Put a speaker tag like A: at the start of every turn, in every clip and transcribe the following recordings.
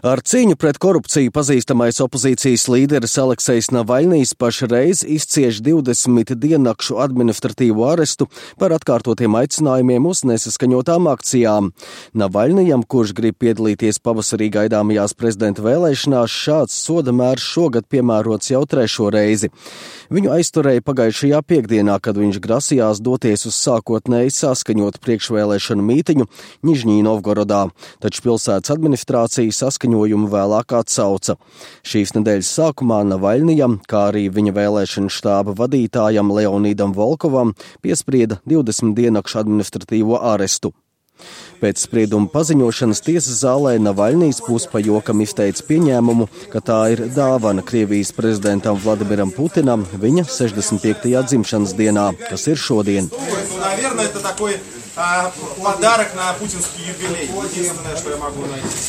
A: Ar cīņu pret korupciju pazīstamais opozīcijas līderis Aleksejs Navaļnijs pašreiz izcieš 20 diennakšu administratīvo arestu par atkārtotiem aicinājumiem uz nesaskaņotām akcijām. Navaļnijam, kurš grib piedalīties pavasarī gaidāmajās prezidenta vēlēšanās, šāds soda mērs šogad piemērots jau 3. reizi. Viņu aizturēja pagājušajā piekdienā, kad viņš grasījās doties uz sākotnēji saskaņotu priekšvēlēšanu mītiņu Nižņī Novgorodā, taču pilsētas administrācija saskaņojumu vēlāk atsauca. Šīs nedēļas sākumā Navaļnijam, kā arī viņa vēlēšanu štāba vadītājam Leonīdam Volkovam, piesprieda 20 diennakšu administratīvo arestu. Pēc sprieduma paziņošanas tiesas zālē Navaļnijs puspajokam izteica pieņēmumu, ka tā ir dāvana Krievijas prezidentam Vladimiram Putinam viņa 65. dzimšanas dienā, kas ir šodien.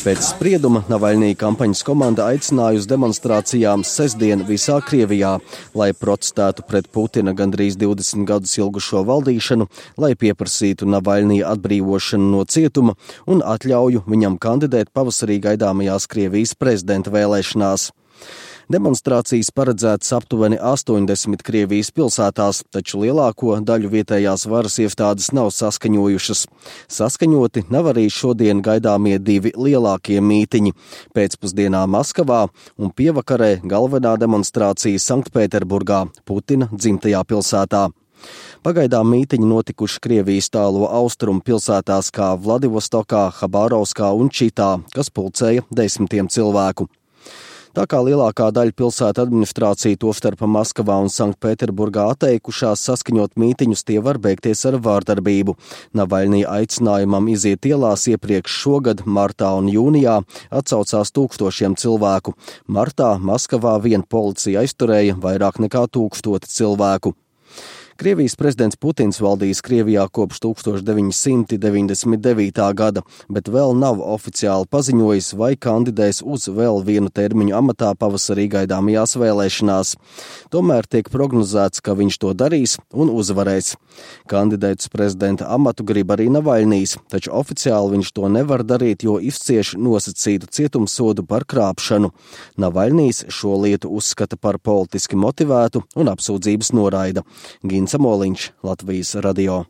A: Pēc sprieduma Navaļnija kampaņas komanda aicināja uz demonstrācijām sestdien visā Krievijā, lai protestētu pret Putina gandrīz 20 gadus ilgušo valdīšanu, lai pieprasītu Navaļnija atbrīvošanu no cietuma un atļauju viņam kandidēt pavasarī gaidāmajās Krievijas prezidenta vēlēšanās. Demonstrācijas paredzētas aptuveni 80 Krievijas pilsētās, taču lielāko daļu vietējās varas iestādes nav saskaņojušas. Saskaņoti nav arī šodien gaidāmie 2 lielākie mītiņi – pēcpusdienā Maskavā un pievakarē galvenā demonstrācija Sanktpēterburgā, Putina dzimtajā pilsētā. Pagaidām mītiņi notikuši Krievijas tālo austrumu pilsētās kā Vladivostokā, Habarovskā un Čitā, kas pulcēja 10 cilvēku. Tā kā lielākā daļa pilsētu administrācija, tostarp Maskavā un Sanktpēterburgā, atteikušās saskaņot mītiņus, tie var beigties ar vārdarbību. Navaļnija aicinājumam iziet ielās iepriekš šogad, martā un jūnijā, atsaucās tūkstošiem cilvēku. Martā Maskavā vien policija aizturēja vairāk nekā 1000 cilvēku. Krievijas prezidents Putins valdījis Krievijā kopš 1999. gada, bet vēl nav oficiāli paziņojis, vai kandidēs uz vēl vienu termiņu amatā pavasarī gaidāmajās vēlēšanās. Tomēr tiek prognozēts, ka viņš to darīs un uzvarēs. Kandidēt uz prezidenta amatu grib arī Navaļnijs, taču oficiāli viņš to nevar darīt, jo izcieš nosacītu cietumsodu par krāpšanu. Navaļnijs šo lietu uzskata par politiski motivētu un apsūdzības noraida. Samoliņš, Latvijas radio.